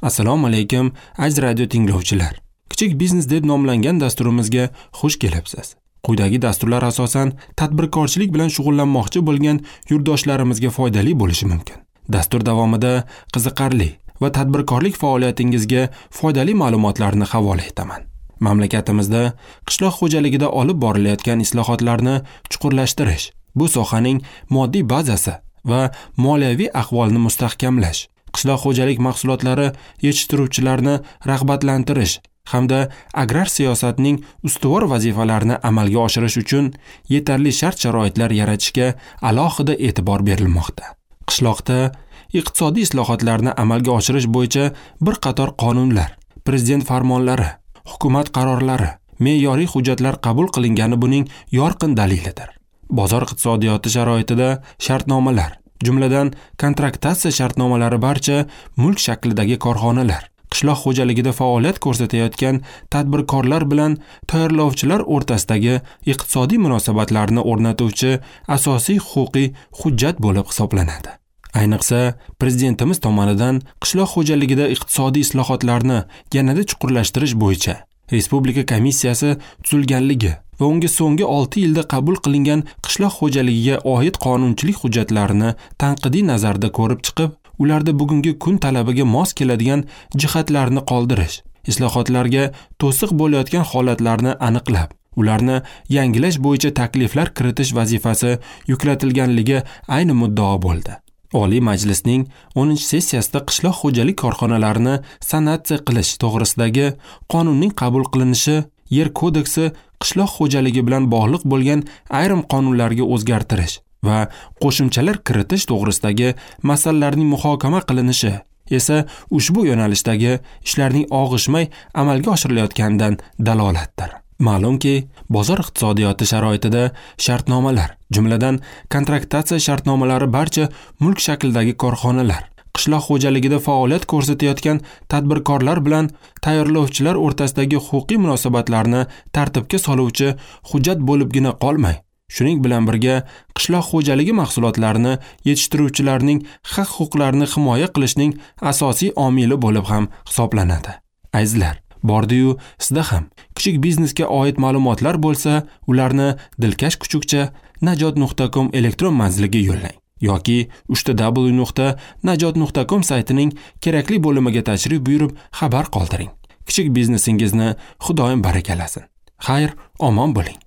Assalomu alaykum, aziz radio tinglovchilar. Kichik biznes deb nomlangan dasturimizga xush kelibsiz. Quyidagi dasturlar asosan tadbirkorchilik bilan shug'ullanmoqchi bo'lgan yurtdoshlarimizga foydali bo'lishi mumkin. Dastur davomida qiziqarli va tadbirkorlik faoliyatingizga foydali ma'lumotlarni havola etaman. Mamlakatimizda qishloq xo'jaligida olib borilayotgan islohotlarni chuqurlashtirish, bu sohaning moddiy bazasi va moliyaviy ahvolini mustahkamlash, qishloq xo'jalik mahsulotlari yetishtiruvchilarni rag'batlantirish hamda agrar siyosatning ustuvor vazifalarini amalga oshirish uchun yetarli shart-sharoitlar yaratishga alohida e'tibor berilmoqda. Qishloqda iqtisodiy islohotlarni amalga oshirish bo'yicha bir qator qonunlar, prezident farmonlari, hukumat qarorlari, me'yoriy hujjatlar qabul qilingani buning yorqin dalilidir. Bozor iqtisodiyoti sharoitida shartnomalar, jumladan kontraktatsiya shartnomalari barcha mulk shaklidagi korxonalar, qishloq xo'jaligida faoliyat ko'rsatayotgan tadbirkorlar bilan tayyorlovchilar o'rtasidagi iqtisodiy munosabatlarni o'rnatuvchi asosiy huquqiy hujjat bo'lib hisoblanadi. Ayniqsa, prezidentimiz tomonidan qishloq xo'jaligida iqtisodiy islohotlarni yanada chuqurlashtirish bo'yicha Respublika komissiyasi tuzilganligi va unga so'nggi 6 yilda qabul qilingan qishloq xo'jaligiga oid qonunchilik hujjatlarini tanqidiy nazarda ko'rib chiqib, ularda bugungi kun talabiga mos keladigan jihatlarni qoldirish, islohotlarga to'siq bo'layotgan holatlarni aniqlab, ularni yangilash bo'yicha takliflar kiritish vazifasi yuklatilganligi ayni muddao bo'ldi. Oliy Majlisning 10-sessiyasida qishloq xo'jalik korxonalarini sanatsiya qilish to'g'risidagi qonunning qabul qilinishi, Yer kodeksi qishloq xo'jaligi bilan bog'liq bo'lgan ayrim qonunlarga o'zgartirish va qo'shimchalar kiritish to'g'risidagi masalalarning muhokama qilinishi esa ushbu yo'nalishdagi ishlarning og'ishmay amalga oshirilayotganidan dalolatdir. Ma'lumki, bozor iqtisodiyoti sharoitida shartnomalar, jumladan kontraktatsiya shartnomalari barcha mulk shaklidagi korxonalar, qishloq xo'jaligida faoliyat ko'rsatayotgan tadbirkorlar bilan tayyorlovchilar o'rtasidagi huquqiy munosabatlarni tartibga soluvchi hujjat bo'libgina qolmay, shuning bilan birga qishloq xo'jaligi mahsulotlarini yetishtiruvchilarning haq-huquqlarini himoya qilishning asosiy omili bo'lib ham hisoblanadi. Azizlar, bordi-yu sizda ham kichik biznesga oid ma'lumotlar bo'lsa, ularni dilkash kuchukcha najot.com elektron manziliga yo'llang yoki www.najot.com saytining kerakli bo'limiga tashrif buyurib xabar qoldiring. Kichik biznesingizni Xudoyim barakalasin. Xayr, omon bo'ling.